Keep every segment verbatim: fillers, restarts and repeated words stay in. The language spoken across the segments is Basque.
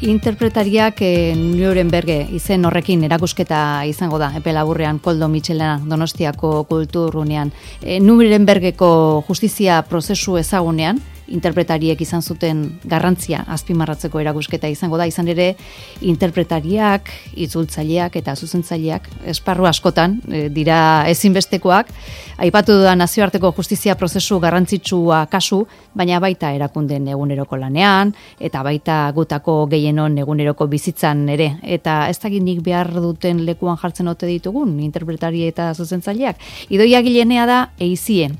Interpretariak e, Nuremberge izen horrekin erakusketa izango da, epe laburrean Koldo Mitxelena Donostiako kulturrunean. E, Nurembergeko justizia prozesu ezagunean, interpretariek izan zuten garrantzia azpimarratzeko erakusketa izango da, izan ere interpretariak, itzultzaileak eta zuzentzaileak esparru askotan e, dira ezinbestekoak, aipatu da nazioarteko justizia prozesu garrantzitsua kasu, baina baita erakundeen eguneroko lanean, eta baita gutako gehienon eguneroko bizitzan ere, eta ez dakit nik behar duten lekuan jartzen ote ditugun, interpretari eta zuzentzaileak. Idoia Gilenea da eizie,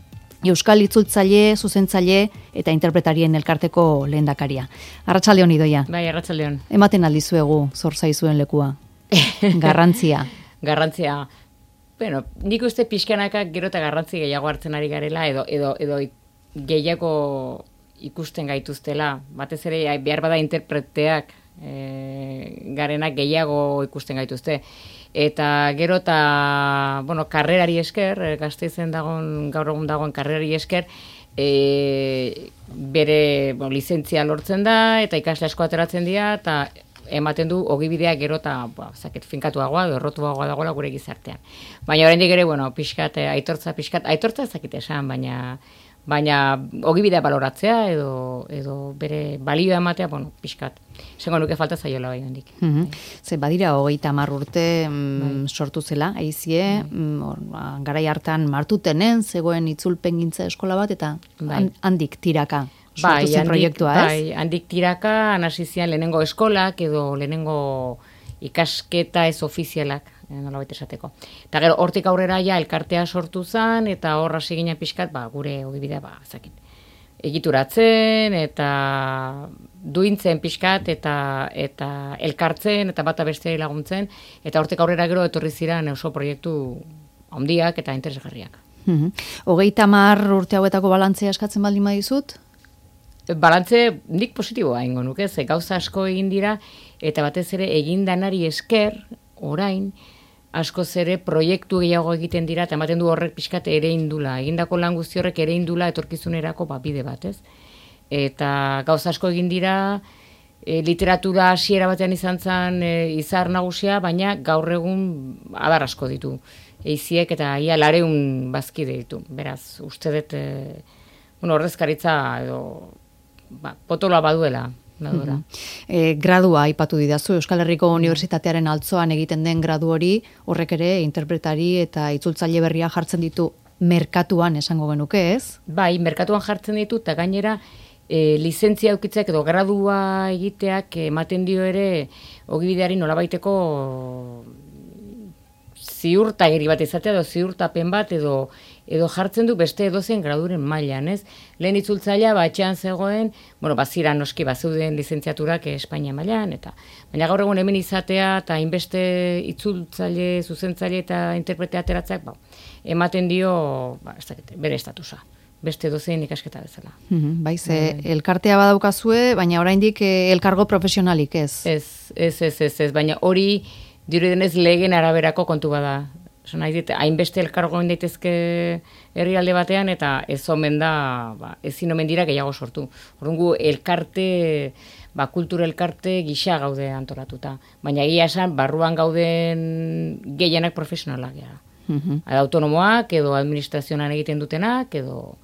Euskal itzultzaile, zuzentzaile eta interpretarien elkarteko lehendakaria. Arratsaldeon Idoia. Bai, arratsaldeon. Ematen aldizuegu zor zaizuen lekua. Garrantzia. Garrantzia. Bueno, nik uste pixkanaka gero eta garrantzi gehiago hartzen ari garela edo edo edo gehiago ikusten gaituztela. Batez ere behar bada interpreteak e, garenak gehiago ikusten gaituzte. Eta gero eta, bueno, karrerari esker, Gasteizen dagoen, gaur egun dagoen karrerari esker, e, bere bueno, lizentzia lortzen da, eta ikasle asko ateratzen dira, eta ematen du ogibidea gero eta ba, zaket, finkatuagoa, errotuagoa dagoela gure gizartean. Baina oraindik ere, bueno, pixkat, aitortza, pixkat, aitortza ezakite esan, baina baina ogibidea baloratzea edo, edo bere balioa ematea, bueno, pixkat. Esango nuke falta zaiola bai handik. Mm-hmm. Ze badira hogeita hamar urte mm, sortu zela, aizie, mm, garai hartan martutenen, zegoen itzulpengintza eskola bat, eta bai. handik tiraka sortu bai, zen handik, proiektua, ez? Bai, handik tiraka, hasi zian lehenengo eskolak edo lehenengo ikasketa ez ofizialak, nolabait esateko. Eta gero, hortik aurrera ja elkartea sortu zen, eta horra segina pixkat, ba, gure ogibidea, ba, zakit, egituratzen, eta duintzen pixkat, eta eta elkartzen, eta bata besteari laguntzen, eta hortik aurrera gero etorri ziren oso proiektu handiak eta interesgarriak. Mm-hmm. Hogeita hamar urte hauetako balantzea eskatzen baldin badizut? Balantze nik positiboa ingo nuke, ze gauza asko egin dira, eta batez ere egin danari esker, orain, askoz ere proiektu gehiago egiten dira, eta ematen du horrek pixkat ere indula. Egindako lan guzti horrek ere indula etorkizunerako ba, bide bat, ez? Eta gauza asko egin dira, e, literatura hasiera batean izan zen e, izar nagusia, baina gaur egun adar asko ditu. Eiziek eta ia lareun bazkide ditu. Beraz, uste dut, e, bueno, ordezkaritza edo ba, potoloa baduela. Mm-hmm. E, gradua aipatu didazu, Euskal Herriko Unibertsitatearen altzoan egiten den gradu hori, horrek ere interpretari eta itzultzaile berria jartzen ditu merkatuan esango genuke, ez? Bai, merkatuan jartzen ditu, eta gainera e, lizentzia eukitzeak edo gradua egiteak ematen dio ere ogibideari nolabaiteko ziurtagiri bat izatea edo ziurtapen bat edo edo jartzen du beste edozein graduren mailan, ez? Lehen itzultzailea batxean zegoen, bueno, bazira noski bazeuden lizentziaturak Espainia mailan, eta baina gaur egun hemen izatea eta hainbeste itzultzaile, zuzentzaile eta interprete ateratzeak, ba, ematen dio, ba, ez dakit, bere estatusa. Beste edozein ikasketa bezala. Mm-hmm, bai, ze elkartea badaukazue, baina oraindik elkargo profesionalik, ez? Ez, ez, ez, ez, ez, baina hori dirudenez legen araberako kontu bada. Oso nahi dit, hainbeste elkargo daitezke herrialde batean, eta ez omen da, ba, ezin omen dira gehiago sortu. Orduan gu elkarte, ba, kultura elkarte gisa gaude antolatuta. Baina egia esan, barruan gauden gehienak profesionalak gara. Mm-hmm. Autonomoak, edo administrazioan egiten dutenak, edo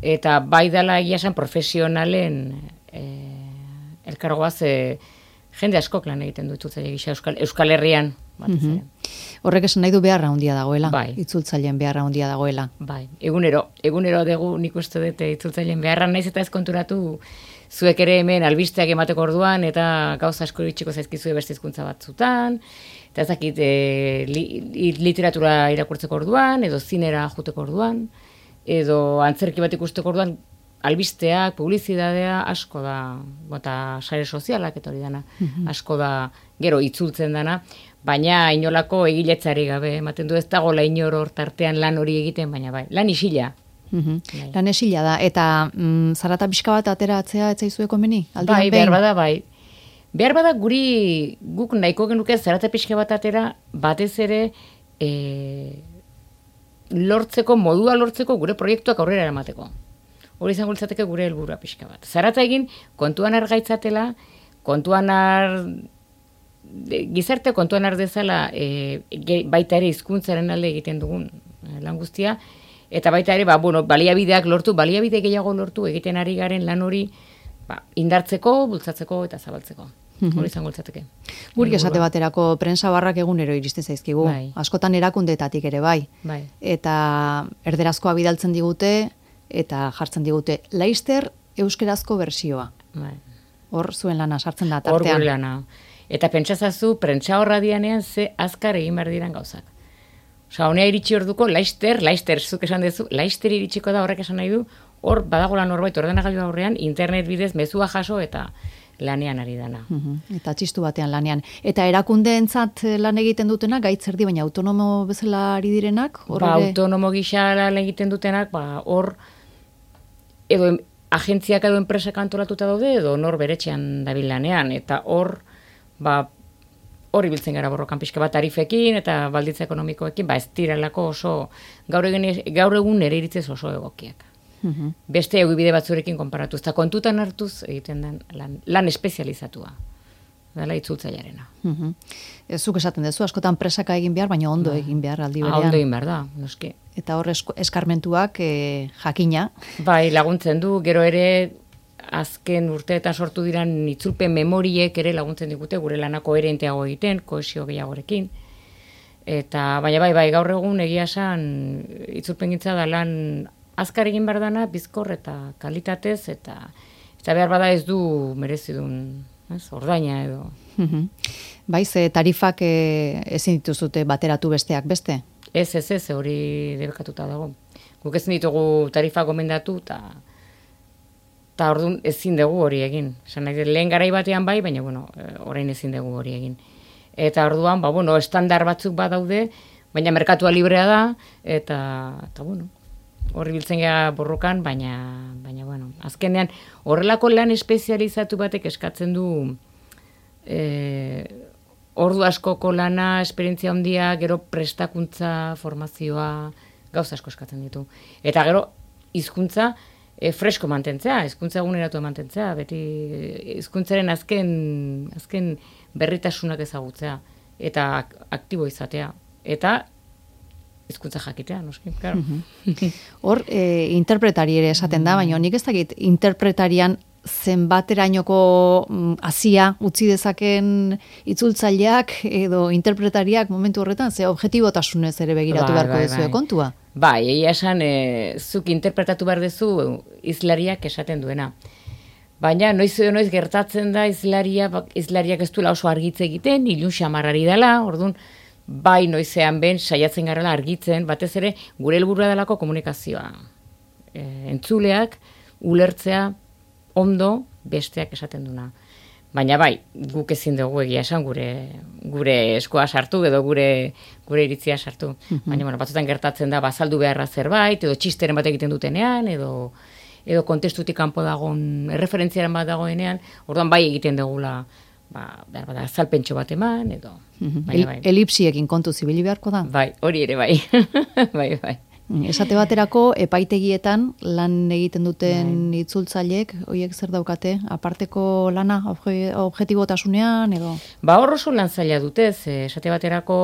eta bai dela egia esan profesionalen e, elkargoa ze jende askok lan egiten du itzultzaile gisa Euskal, Euskal Herrian. Mm-hmm. Horrek esan nahi du beharra handia dagoela, bai. Itzultzaileen beharra handia dagoela. Bai, egunero, egunero dugu nik uste dut itzultzaileen beharra naiz eta ez konturatu zuek ere hemen albisteak emateko orduan eta gauza asko itxiko zaizkizue beste hizkuntza batzutan, eta ezakit e, li, literatura irakurtzeko orduan, edo zinera joteko orduan, edo antzerki bat ikusteko orduan, albisteak, publizidadea asko da, eta sare sozialak eta hori dana, mm-hmm. asko da gero itzultzen dana, baina inolako egiletzari gabe, ematen du ez dagoela inor hor tartean lan hori egiten, baina bai, lan isila. Mm-hmm. Lan esila da, eta mm, zarata pixka bat ateratzea etzaizu komeni? Bai, behar bada, bai. Behar bada guri, guk nahiko genuke zarata pixka bat atera, batez ere, e, lortzeko, modua lortzeko gure proiektuak aurrera eramateko. Hori izango litzateke gure helburua pixka bat. Zarata egin, kontuan argaitzatela, kontuan har, gizarte kontuan har dezala, e, baita ere hizkuntzaren alde egiten dugun lan guztia, eta baita ere, ba, bueno, baliabideak lortu, baliabide gehiago lortu egiten ari garen lan hori ba, indartzeko, bultzatzeko eta zabaltzeko. Hori izango litzateke. Guri esate baterako prensa barrak egunero iristen zaizkigu. Bai. Askotan erakundeetatik ere bai. Bai. Eta erderazkoa bidaltzen digute eta jartzen digute Laister euskerazko bersioa. Bai. Hor zuen lana sartzen da Hor tartean. gure lana. Eta pentsazazu, prentsa horra dianean ze azkar egin behar diran gauzak. Osa, honea iritsi orduko, Laister, Laister, zuk esan dezu, Laister iritsiko da horrek esan nahi du, hor badagola norbait ordenagailu aurrean, internet bidez mezua jaso eta lanean ari dana. Uhum, eta txistu batean lanean. Eta erakundeentzat lan egiten dutena, gaitz erdi, baina autonomo bezala ari direnak? Hor Ba, ere... autonomo gisa lan egiten dutenak, ba, hor, edo em, agentziak edo enpresak antolatuta daude, edo nor beretxean dabil lanean, eta hor, ba, hori biltzen gara borrokan pixka bat tarifekin, eta balditza ekonomikoekin, ba, ez direlako oso, gaur egun, gaur egun ere iritzez oso egokiak. Uhum. Beste egibide batzurekin konparatuz, eta kontutan hartuz egiten den lan, lan espezializatua. Dela itzultzailearena. Uhum. Ez zuk esaten dezu, askotan presaka egin behar, baina ondo egin behar aldi Ah, berean. ondo egin behar da, noski. Eta hor esko- eskarmentuak e, jakina. Bai, laguntzen du, gero ere azken urteetan sortu diran itzulpen memoriek ere laguntzen digute gure lana koherenteago egiten, kohesio gehiagorekin. Eta baina bai, bai, gaur egun egia esan itzulpengintza da lan azkar egin behar dana, bizkor eta kalitatez, eta eta behar bada ez du merezidun, ez, ordaina edo. Uhum. Bai, ze tarifak e, ezin dituzute bateratu besteak beste. Ez, ez, ez, hori debekatuta dago. Guk ezin ditugu tarifa gomendatu, eta eta orduan ezin dugu hori egin. Esan nahi, lehen garai batean bai, baina bueno, orain ezin dugu hori egin. Eta orduan, ba, bueno, estandar batzuk badaude, baina merkatua librea da, eta, eta bueno, horri biltzen gara borrokan, baina, baina bueno, azkenean horrelako lan espezializatu batek eskatzen du e, ordu askoko lana, esperientzia handia, gero prestakuntza, formazioa, gauza asko eskatzen ditu. Eta gero hizkuntza e, fresko mantentzea, hizkuntza eguneratu mantentzea, beti hizkuntzaren azken, azken berritasunak ezagutzea, eta ak aktibo izatea. Eta hizkuntza jakitea, noski, claro. Hor, e, interpretari ere esaten da, baina nik ez dakit interpretarian zenbaterainoko hasia utzi dezaken itzultzaileak edo interpretariak momentu horretan, ze objetibotasunez ere begiratu Bai, beharko bai, duzue bai. kontua. Bai, egia esan, e, zuk interpretatu behar duzu hizlariak esaten duena. Baina noiz edo noiz gertatzen da hizlaria, hizlariak ez duela oso argitze egiten, ilun xamarrari dela, orduan, bai noizean ben saiatzen garela argitzen, batez ere gure helburua delako komunikazioa. E, entzuleak ulertzea ondo besteak esaten duna. Baina bai, guk ezin dugu egia esan gure gure eskoa sartu edo gure gure iritzia sartu. Baina bueno, batzutan gertatzen da bazaldu beharra zerbait edo txisteren bat egiten dutenean edo edo kontestutik kanpo dagoen erreferentziaren bat dagoenean, orduan bai egiten dugula ba, behar bada, azalpentxo bat eman, edo. El, bai. Elipsiekin kontu zibili beharko da? Bai, hori ere bai. bai, bai. Esate baterako, epaitegietan lan egiten duten bai. Itzultzaileek, horiek zer daukate, aparteko lana, obje, objetibotasunean, edo? Ba, hor oso lan zaila dutez, esate baterako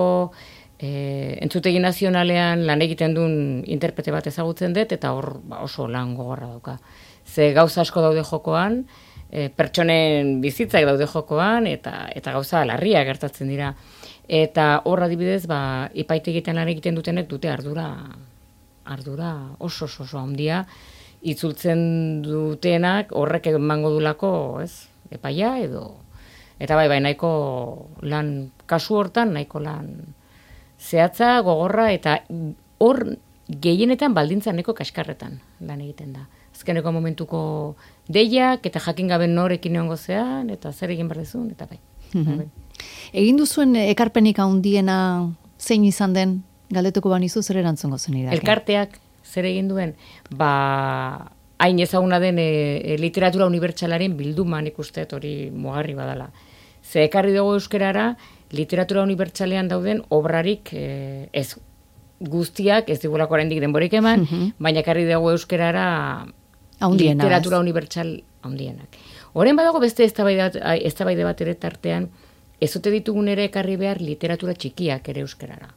e, entzutegi nazionalean lan egiten duen interprete bat ezagutzen dut, eta hor ba, oso lan gogorra dauka. Ze gauza asko daude jokoan, E, pertsonen bizitzak daude jokoan, eta eta gauza larria gertatzen dira. Eta hor adibidez, ba, epaitegietan lan egiten dutenek dute ardura, ardura oso oso oso handia, itzultzen dutenak horrek emango dulako, ez, epaia edo. Eta bai, bai, nahiko lan, kasu hortan, nahiko lan zehatza, gogorra, eta hor gehienetan baldintza nahiko kaskarretan lan egiten da. Azkeneko momentuko deiak, eta jakin gabe norekin egongo zean, eta zer egin behar dezun, eta bai. Mm-hmm. Egin duzuen ekarpenik handiena zein izan den, galdetuko banizu zer erantzungo zen irake? Elkarteak zer egin duen, ba, hain ezaguna den e, e, literatura unibertsalaren bilduman ikustet hori mugarri badala. Ze ekarri dugu euskerara, literatura unibertsalean dauden obrarik e, ez guztiak, ez digulako oraindik denborik eman, mm-hmm. baina ekarri dugu euskerara Haundienas. Literatura unibertsal handienak. Orain badago beste eztabaide bat ere tartean, ez ote ditugun ere ekarri behar literatura txikiak ere euskarara.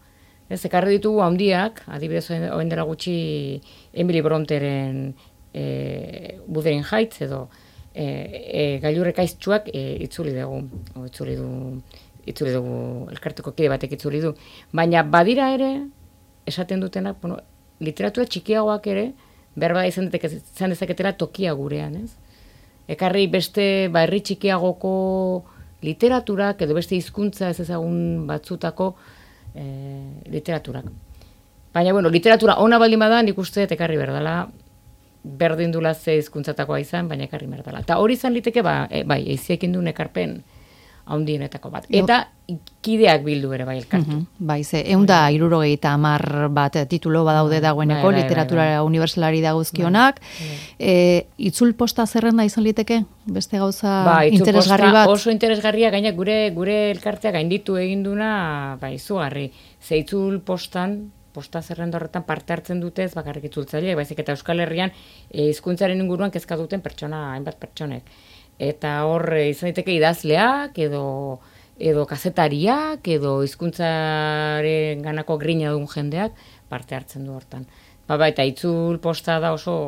Ez, ekarri ditugu handiak, adibidez orain dela gutxi Emily Bronteren e, Wuthering Heights edo e, e, gailurrek aiztxuak e, itzuli dugu, o, itzuli du, itzuli dugu, elkarteko kide batek itzuli du. Baina badira ere, esaten dutenak, bueno, literatura txikiagoak ere, behar bada izan, izan dezaketela tokia gurean, ez? Ekarri beste ba, herri txikiagoko literaturak, edo beste hizkuntza ez ezagun batzutako e, literaturak. Baina, bueno, literatura ona baldin bada, nik uste ekarri berdala, berdin dula ze hizkuntzatakoa izan, baina ekarri berdala. Eta hori izan liteke, ba, e, bai, eiziekin duen ekarpen handienetako bat. Eta kideak bildu ere bai elkartu. Uh-huh. Bai, ze, eunda irurogeita amar bat titulo badaude dagoeneko, bai, bai, literatura bai, bai. Unibertsalari dagozkionak. Bai, bai. E, itzul posta zerrenda izan liteke? Beste gauza bai, interesgarri bat? Oso interesgarria, gaina gure gure elkartea gainditu eginduna, bai, izugarri. Ze itzul postan, posta zerrenda horretan parte hartzen dutez, bakarrik itzultzaile, baizik eta Euskal Herrian hizkuntzaren e, inguruan kezka duten pertsona, hainbat pertsonek. Eta hor izan daiteke idazleak, edo, edo kazetariak, edo hizkuntzaren ganako grina duen jendeak parte hartzen du hortan. Ba, ba, eta itzul posta da oso,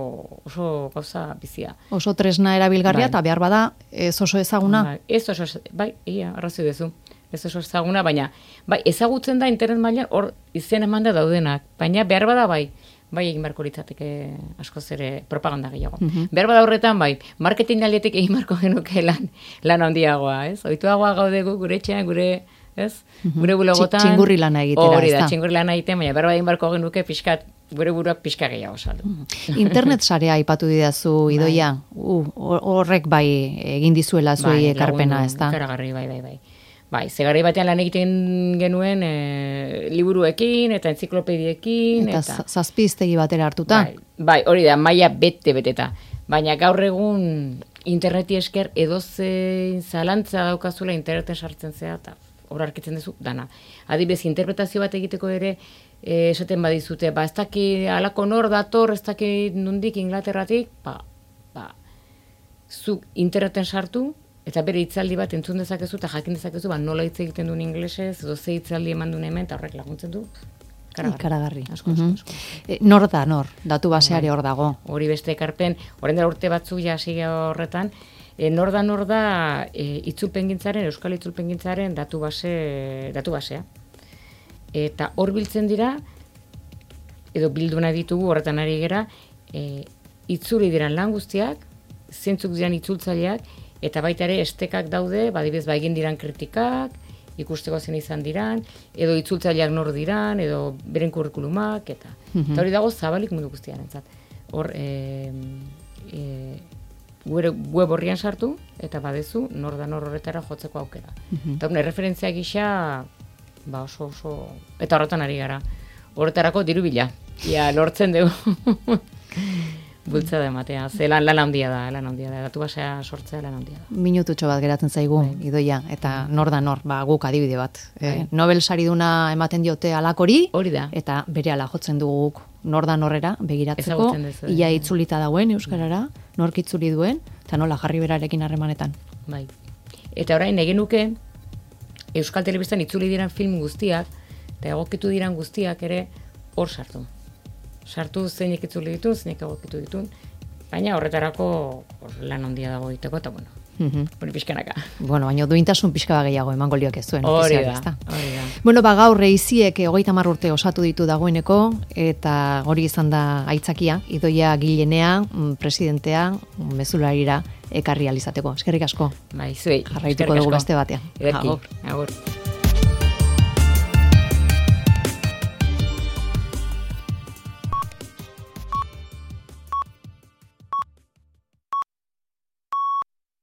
oso gauza bizia. Oso tresna erabilgarria, eta bai. Behar bada ez oso ezaguna? Bai, ez oso, bai, ia, arrazoi dezu. Ez oso ezaguna, baina bai, ezagutzen da internet mailan hor izen emanda daudenak, baina behar bada bai. Bai, egin barko litzateke askoz ere propaganda gehiago. Uh-huh. Behar bada horretan, bai, marketing aldetik egin barko genuke lan, lan handiagoa, ez? Oituagoa gaudegu gure etxean, gure, ez? Uh-huh. Gure bulogotan. Txingurri lana egitera, hori da, txingurri lana egiten, baina behar bada egin barko genuke pixkat, gure buruak pixka gehiago saldu. Uh-huh. Internet sarea aipatu didazu, Idoia, uh, horrek bai egin dizuela zuei bai, ekarpena, ez da? Ikaragarri, bai, bai, bai. Bai, zegarri batean lan egiten genuen e, liburuekin eta enziklopediekin. Eta, eta zazpi hiztegi batera hartuta. Bai, bai, hori da, maila bete-beteta. Baina gaur egun interneti esker edozein zalantza daukazula interneten sartzen zea, eta hor arkitzen duzu, dana. Adibidez, interpretazio bat egiteko ere, e, esaten badizute, ba, ez daki alako nor dator, ez daki nundik Inglaterratik, ba, ba, zu interneten sartu, eta bere hitzaldi bat entzun dezakezu eta jakin dezakezu, ba, nola hitz egiten duen inglesez, edo ze hitzaldi eman duen hemen, eta horrek laguntzen du. Ikaragarri. Asko, asko, asko. E, nor da, nor? Datu baseari hor dago. Hori beste ekarpen, orain dela urte batzuk ja hasi horretan, e, nor da, nor da, e, itzulpengintzaren, euskal itzulpengintzaren datu base, datu basea. Eta hor biltzen dira, edo bildu nahi ditugu horretan ari gera, e, itzuli diran lan guztiak, zentzuk diran itzultzaileak, eta baita ere estekak daude, badibez ba egin diran kritikak, ikusteko zen izan diran, edo itzultzaileak nor diran, edo beren kurrikulumak, eta, mm-hmm. eta hori dago zabalik mundu guztian entzat. Hor, e, e, web horrian sartu, eta badezu, nor da nor horretara jotzeko aukera. Mm-hmm. Eta hori, referentzia gisa, ba oso oso, eta horretan ari gara. Horretarako diru bila, ia lortzen dugu. Bultzada ematea, ze lan, lan handia da, lan handia da, datu basea sortzea lan handia da. Minututxo bat geratzen zaigu, bai. Idoia, eta nor da nor, ba, guk adibide bat. Eh, Nobel sariduna ematen diote alakori, hori da. Eta bere ala jotzen dugu guk nor da norrera begiratzeko, dezu, ia itzulita dagoen euskarara, nork itzuli duen, eta nola jarri berarekin harremanetan. Bai. Eta orain egin nuke, Euskal Telebistan itzuli diran film guztiak, eta egokitu diran guztiak ere hor sartu. Sartu zeinek itzuli ditun, zeinek egokitu ditun, baina horretarako lan handia dago egiteko, eta bueno, mm-hmm. hori pixkanaka. Bueno, baina duintasun pixka gehiago emango lioke zuen. Hori da, hori da. Bueno, ba, gaur reiziek hogeita hamar urte osatu ditu dagoeneko, eta hori izan da aitzakia, Idoia Gilenea, presidentea, mezularira ekarri alizateko. Eskerrik asko. Bai, zuei. Jarraituko dugu beste batean. Agur. Agur.